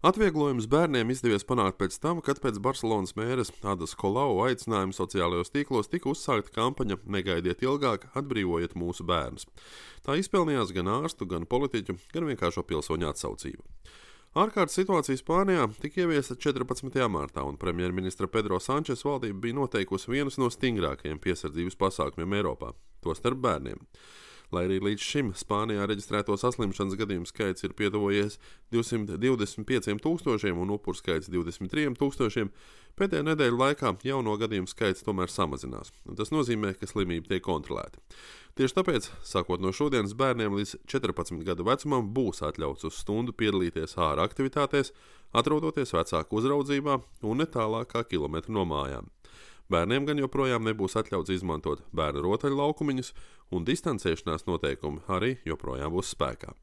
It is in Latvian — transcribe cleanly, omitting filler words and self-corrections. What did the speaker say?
Atvieglojums bērniem izdevies panākt pēc tam, kad pēc Barcelonas mēres Adas Colau aicinājuma sociālajos tīklos tika uzsākta kampaņa "Negaidiet ilgāk, atbrīvojiet mūsu bērnus". Tā izpelnījās gan ārstu, gan politiķu, gan vienkāršo pilsoņu atsaucību. Ārkārtas situācija Spānijā tika ieviesta 14. martā, un premjerministra Pedro Sančes valdība bija noteikusi vienus no stingrākajiem piesardzības pasākumiem Eiropā, tostarp bērniem. Lai arī līdz šim Spānijā reģistrēto saslimšanas gadījumu skaits ir pietuvojies 225,000 un upuru skaits 23,000, pēdējā nedēļa laikā jauno gadījumu skaits tomēr samazinās. Tas nozīmē, ka slimība tiek kontrolēta. Tieši tāpēc, sākot no šodienas, bērniem līdz 14 gadu vecumam būs atļauts uz stundu piedalīties ārā aktivitātēs, atrodoties vecāku uzraudzībā un ne tālāk kā kilometru no mājām. Bērniem gan joprojām nebūs atļauts izmantot bērnu rotaļlaukumiņus, un distancēšanās noteikumi arī joprojām būs spēkā.